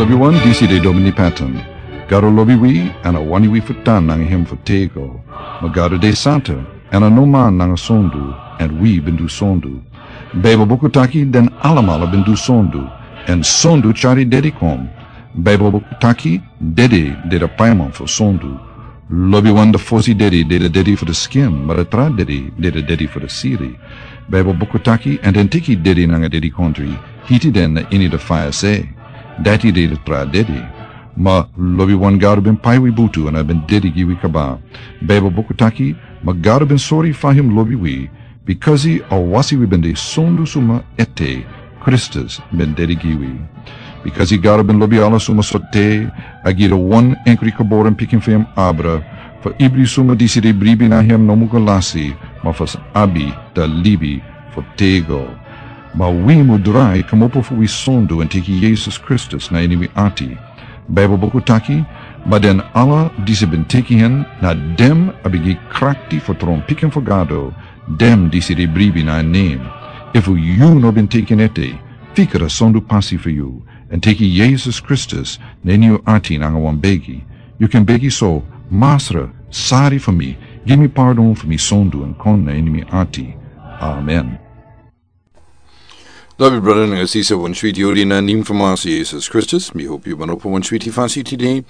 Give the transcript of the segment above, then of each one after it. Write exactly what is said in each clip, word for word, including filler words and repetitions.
Lobiwan, disi de Domini Patton. Gado lobi wi, èn a wani wi fu tan nanga hem fu tego. Ma Gado de santa, èn a no man nanga sondu, èn wi ben du sondu. Baibel buku taki den alamala ben du sondu, èn sondu tyari dedi kon. Baibel buku taki dedi de da paiman fu sondu. Lobiwan, da fosi dedi de da dedi fu da skin, ma da tra dedi de da dedi fu da siri. Baibel buku taki, èn den teki dedi nanga dedikontri, hiti den na ini da faya se. Dati de da tra dedi. Ma lobiwan, Gado ben pai wi butu èn a ben dedi gi wi kaba. Baibel buku taki, ma Gado ben sori fa hem lobi wi, bikasi a wasi wi ben de sondu suma ete, Kristus ben dedi gi wi. Bikasi Gado ben lobi ala suma sortu, a gi da wan enkri geboren pikin fu hem abra, fu ibri suma disi de bribi na hem no mu go lasi, ma fu sa abi da libi fu tego. Ma wi mu drai kmopo fu wi sondu èn teki Yesus Kristus na ini wi ati. Baibel buku taki, ma den ala disi ben teki hen, na den a ben gi krakti fu tron pikin fu Gado, den disi de bribi na en nen. Efu yu no ben teki en ete, fika da sondu pasi fu yu, èn teki Yesus Kristus na ini yu ati nanga wan begi. Yu kan begi so: Masra, sori fu mi, gi mi pardon fu mi sondu èn kon na ini mi ati. Amen. Lobi brada nanga sisa, wan switi yari na nen fu Masra Yesus Kristus. Mi hopi yu ben opo wan switi fasi tide,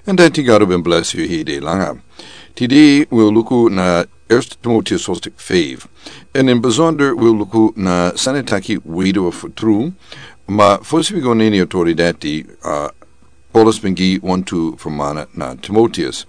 èn dati Gado ben blesi yu heri langa. Tide wi o luku na Eerste Timotheus hoofdstuk vijf. Èn ini besonder wi o luku na sani taki weduwe fu tru. Ma fosi wi go na ini a tori dati, a, Paulus ben gi wantu fermana na Timotheus.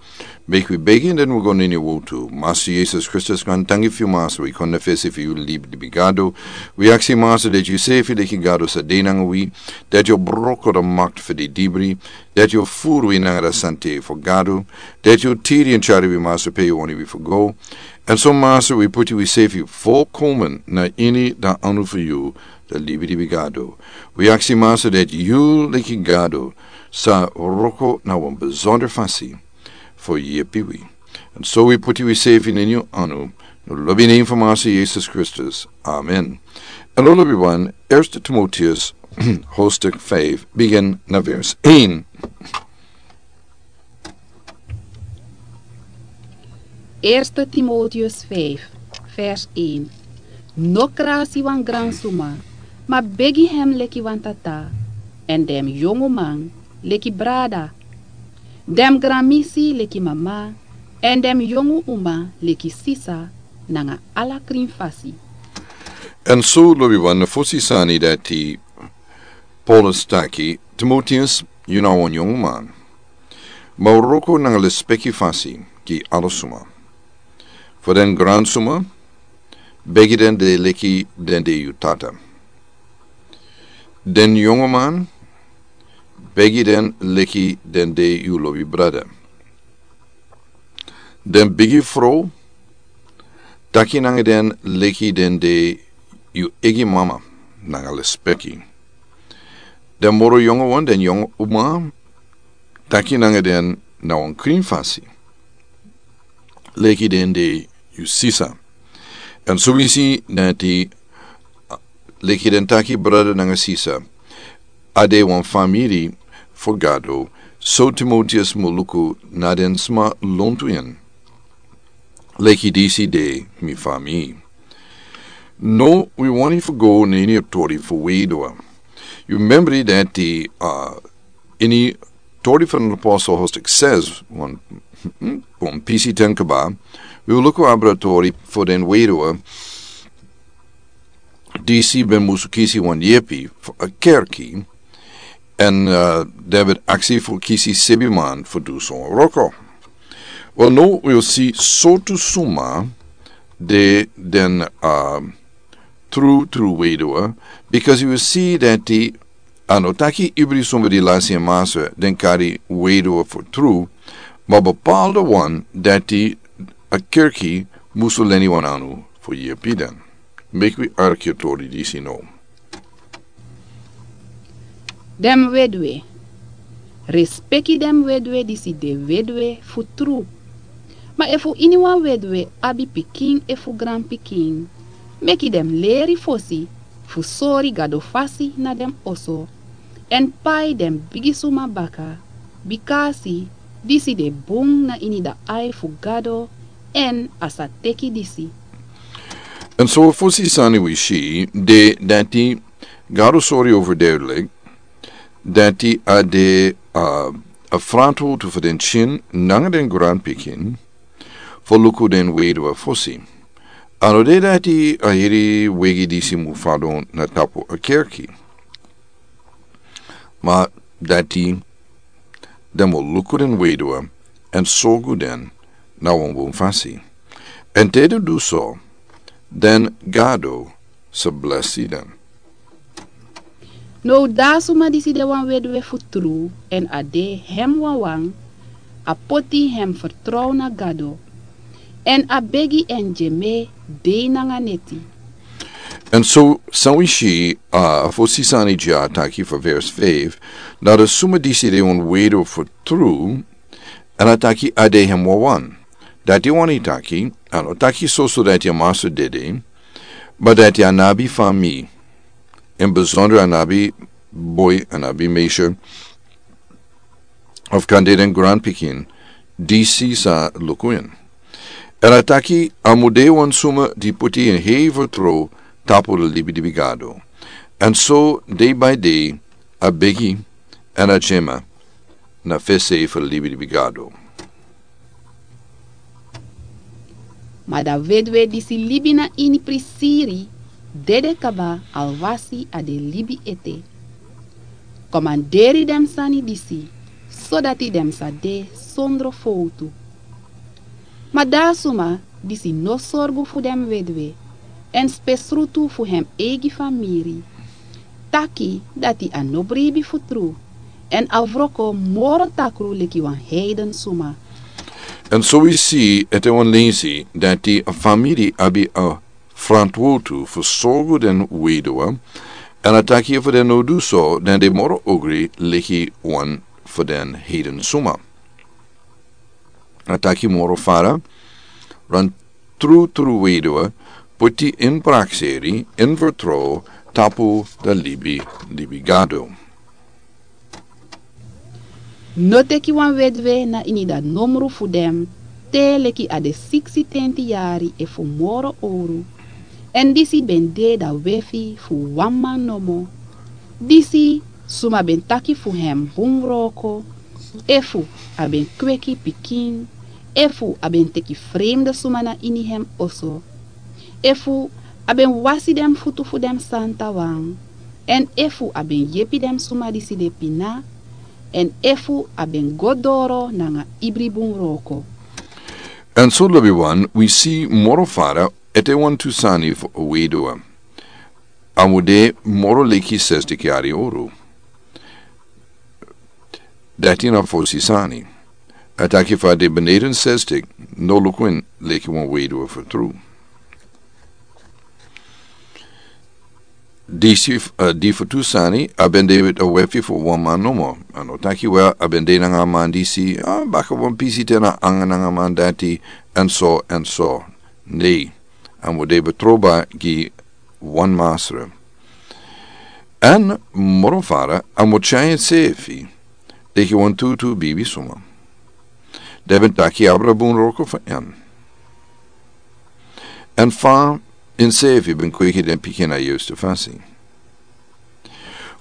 Meki wi begi, èn den wi go na ini a wowtu. Masra Yesus Kristus, grantangi fu yu, Masra, wi kon na fesi fu yu, libi, libi Gado. Wi aksi, Masra, dati yu sefi leki Gado sa de nanga wi, dati yu o broko da makti fu didibri, dati yu o furu wi nanga da santa fu Gado, dati yu o tiri èn tyari wi, Masra, pe yu wani wi fu go. Èn so, Masra, wi puti wi sefi folkomen na ini da anu fu yu, da libi, libi Gado. Wi aksi, Masra, dati yu leki Gado sa wroko na wan besonder fasi fu yepi wi. Èn so wi puti wi sefi na ini yu anu, na lobi nen fu Masra Yesus Kristus. Amen. Èn lobiwan, Eerste Timotheus hoofdstuk vijf, bigin na vers één. Eerste Timotheus vijf, vers één. No krasi wan gransuma, ma begi hem leki wan tata, èn den yonguman leki brada, den granmisi leki mama, èn den yongu uma leki sisa, nanga ala krin fasi. Èn so, lobiwan, na fosi sani dati Paulus taki: Timotheus, yu na wan yonguman, ma wroko nanga lespeki fasi gi ala suma. Fu den gransuma, begi den de leki den de yu tata. Den yonguman, begi den leki den de yu lobi brada. Den bigi frow, taki nanga den leki den de yu eigi mama, nanga lespeki. Den moro yonguwan, den yongu uma, taki nanga den na wan krin fasi, leki den de yu sisa. Èn so wi si dati, a, leki den taki brada nanga sisa, a de wan famiri fu Gado, so Timotheus mu luku na den sma lontu en leki disi de mi famiri. Now wi wani fu go na ini a tori fu weduwe. Yu member dati, a, ini Tori fu den Apostel hoofdstuk zes, wan, wan pisi ten kaba, wi o luku abra tori fu den weduwe disi ben musu kisi wan yepi fu a kerki, èn, a, den ben aksi fu kisi sebi man fu du so wan wroko. Wel, now wi o si sortu suma de den, a, tru, tru weduwe, bikasi wi o si dati a no taki ibri suma di lasi en masra den kari weduwe fu tru, ma bepaalde wan dati a kerki musu leni wan anu fu yepi den. Meki wi arki a tori disi now. Den weduwe. Respeki den weduwe disi de weduwe fu tru. Ma efu iniwan weduwe abi pikin efu granpikin, meki den leri fosi fu sori Gado fasi na den oso. èn pai den bigi suma baka, bika a si disi de bun na ini da ai fu Gado, èn a sa teki disi. Èn so fosi sani wi si de dati Gado sori overduidelijk dati a de a frantwowtu fu den skin nanga den granpikin fu luku den weduwe fosi. A no de dati a heri wegi disi mu fadon na tapu a kerki. Ma dati den mu luku den weduwe èn sorgu den na wan bun fasi. Èn te den du so, den Gado sa blesi den. Now da a suma disi de wan weduwe fu tru èn a de hem wawan, a poti hem fertrow na Gado, èn a begi en gi en dei nanga neti. Èn so san wi si, a fosi sani dya taki fu vers vijf, na da suma disi de wan weduwe fu tru, èn a taki a de hem wawan. Dati wani taki, a no taki soso dati a masra dede, ma dati a no abi famiri, in besonder a no abi boi, a no abi meisyo, of kan de den granpikin disi sa luku en. Èn a taki a mu de wan suma di poti en hei fertrow tapu da libi di Gado. Èn so dei bai dei a begi èn a tyema na fesi fu da libi di Gado. Ma da weduwe disi libi na ini prisiri dede kaba, alwasi a de libi ete. Komanderi den sani disi, sodati den sa de sondro fowtu. Ma da a suma disi no sorgu fu den weduwe èn spesrutu fu hem eigi famiri, taki dati a no bribi fu tru, èn a wroko moro takru leki wan heiden suma. Èn so wi si ete wan lensi dati a famiri abi a frantwowtu fu sorgu den weduwe, èn a taki fu den no du so den de moro ogri leki wan fu den heiden suma. A taki moro fara, wan trutru weduwe poti en prakseri en fertrow tapu da libi libi Gado. No teki wan weduwe na ini da nomru fu den te leki a de siksi tenti yari efu moro owru. Èn disi ben de da wefi fu wan man nomo. Disi suma ben taki fu hem bun wroko, efu a ben kweki pikin, efu a ben teki fremde suma na ini hem oso, efu a ben wasi den futu fu den santa wan, èn efu a ben yepi den suma disi de pina, èn efu a ben go doro nanga ibri bun wroko. Èn so lobiwan wi si moro fara ete wantu sani fu a weduwe. A mu de moro leki sestik yari owru. Dati na fosi sani. A taki fa de beneden sestik no luku en leki wan weduwe fu tru. Disi di fu tu sani a ben de a wefi fu wan man nomo. A no taki wel a ben de nanga a man disi a baka wan pisi te na anga nanga a man dati, èn so èn so. Nei, a mu de betroba gi wan masra. Èn moro fara a mu tyai ensefi leki wan tutu bibi suma. Den ben taki abra bun wroko fu en. Èn fa ensefi ben kweki den pikin na yustu fasi.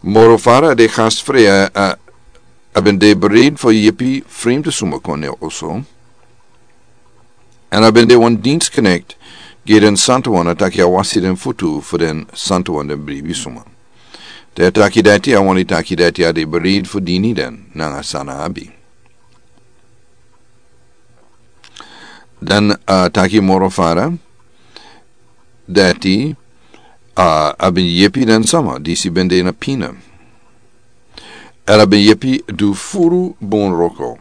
Moro fara de gastfrei a ben de bereid fu yepi fremde suma kon na oso. Èn a ben de wan diensknekti gi den santawan a taki a wasi den futu fu den santawan den bribi suma. Te a taki dati a wani taki dati a de bereid fu dini den nanga san a abi. Dan a taki moro fara dati a ben yepi den sama disi ben de na pina. Èn a ben yepi du furu bun wroko.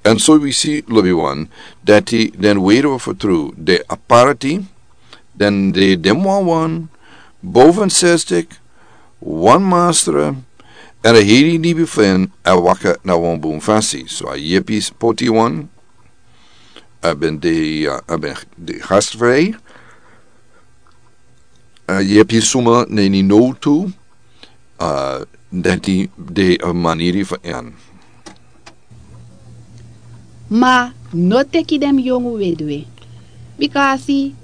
Èn so wi si lobiwan dati den weduwe fu tru de aparti, den de den wawan, boven sestik, wan masra, èn a heri libi fu en a waka na wan bun fasi. So a yepi poti wan, a ben de a ben de gastfrei. A yepi suma na ini nowtu. A dati de a maniri fu en. Ma no teki den mus yongu weduwe. Bika a si,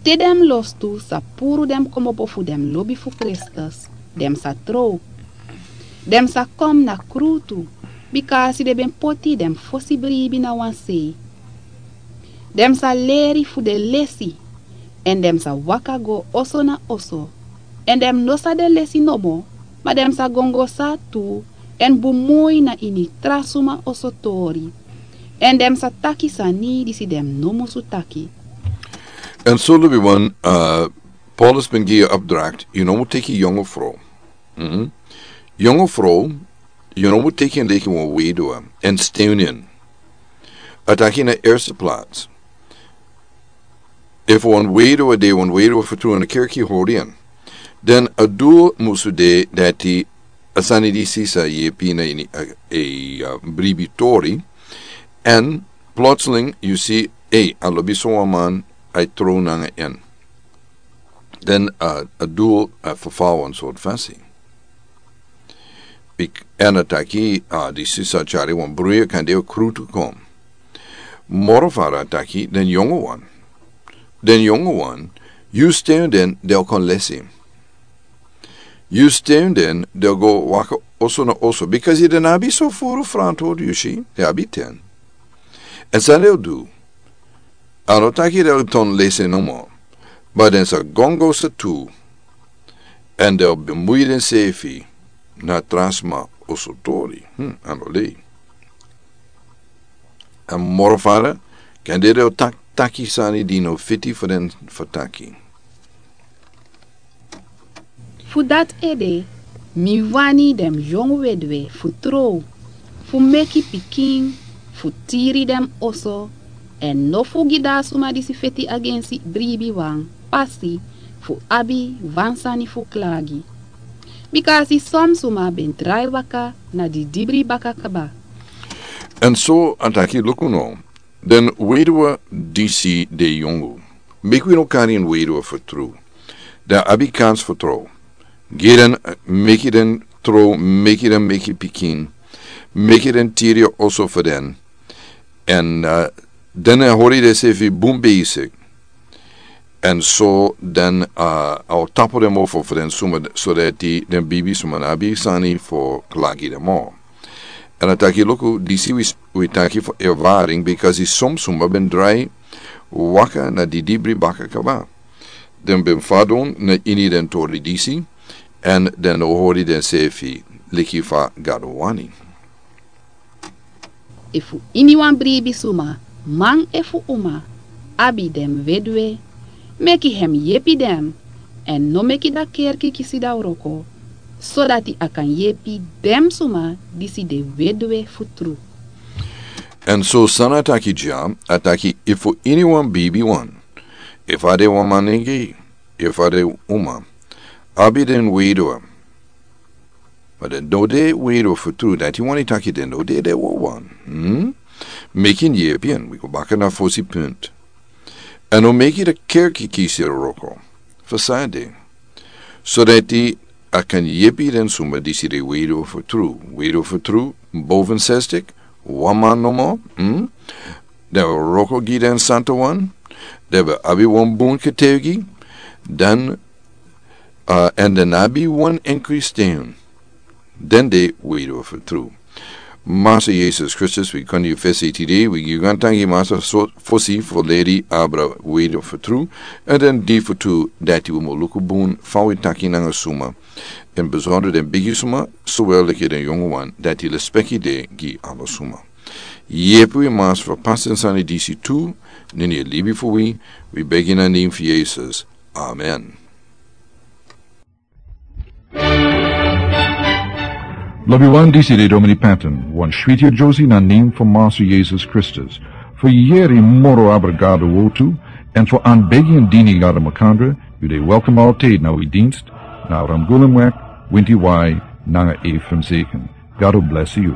te den mus lostu sa puru den mus kmopo fu den mus lobi fu Kristus, den mus sa trow. Den mus sa kon na krutu, bika a si den ben poti den mus fosi bribi na wan sei. Den mus sa leri fu den lesi, èn den mus sa waka go oso na oso. Èn den mus no sa de lesi nomo, ma den mus sa gongosa tu, èn bun moi na ini tra suma oso tori. Èn den mus sa taki sani disi den mus no musu taki. Èn so lobi wan, Paulus ben gi yu opdracht, yu no mus teki yongu frow. Yongu frow, yu no mus teki en leki wan weduwe, èn sten en. A taki na erste plats. Efu wan weduwe de, wan weduwe fu tru ini kerki hori en, den a dul musu de dati a sani disi sa yepi na ini a bribi tori. Èn plotseling yu si, ei, a lobi so wan man, a e trow nanga en. Den a dul a ferfal wan sort fasi. Èn a taki, a disi sa tyari wan bruya kande a krutu kon. Moro fara a taki den yongu wan. Den yongu wan, yu sten den, den o kon lesi. Yu sten den, den o go waka oso na oso, bikasi den abi so furu frantwortu, yu si, den abi ten. Èn san den o du? A no taki den o ton lesi nomo, ma den sa gongosa tu, èn den o bemui densefi na tra sma oso tori. A no lei. Èn moro fara, kande den o taki sani di no fiti fu den fu taki. Fu dati ede, mi wani den mus yongu weduwe fu trow, fu meki pikin, fu tiri den mus oso, èn no fu gi dati suma disi feti agensi bribi wan pasi fu abi wan sani fu klagi. Bika a si son suma ben drai baka na didibri baka kaba. Èn so a taki luku no, den weduwe disi de yongu. Meki wi no kari en weduwe fu tru. Den abi kans fu trow. Gi den, meki den trow, meki den meki pikin. Meki den tiri oso fu den. Èn den e hori densefi bun besik. Èn so den a o tapu den mofo fu den suma, so dati den bribi suma no abi sani fu klagi den moro. Èn a taki luku, disi wi taki fu ervaring, bikasi son suma ben drai waka na didibri baka kaba. Den ben fadon na ini den tori disi, èn den no hori densefi leki fa Gado wani. Efu iniwan bribi suma, man efu uma, abi den mus weduwe, meki hem yepi den, èn no meki dati kerki kisi dati wroko, sodati a kan yepi den suma disi de weduwe fu tru. Èn so san a taki dya, a taki efu iniwan bribi wan, efu a de wan manengeri, efu a de uma, abi den weduwe. Ma den no de weduwe fu tru, dati wani taki den no de den wawan. Meki en yepi en, wi go baka na fosi punt. Èn no meki dati kerki kisi wroko. Fu san de? Sodati a kan yepi den suma disi de weduwe fu tru. Weduwe fu tru, boven zestig, wan man nomo. Den wroko gi den santowan. Den ben abi wan bun getuigi. Den, èn den no abi wan enkri sten. Den de weduwe fu tru. Masa Yesus Kristus, wi kon yu fesi tide, wi gi yu gaantangi Masa, fosi fu leti abra weduwe fu tru, èn den di fu tru dati wi mu luku bun fa wi taki nanga suma. Èn besonder den bigi suma, sowel leki den yongu wan, dati lespeki de gi ala suma. Yepi wi Masa fu pasi den sani disi tu, na ini a libi fu wi, wi begi na nen fu Yesus. Amen. Lobiwan, disi de Domini Patton, wan switi yeye na nen fu Masa Yesus Kristus. Fu yere moro abra Gado wortu, èn fu anbegi en dini Gado makandra, yu de welkom altijd na wi dienst, na Ramgulemweg, winti wai, nanga F M zeven. Gado blesi yu.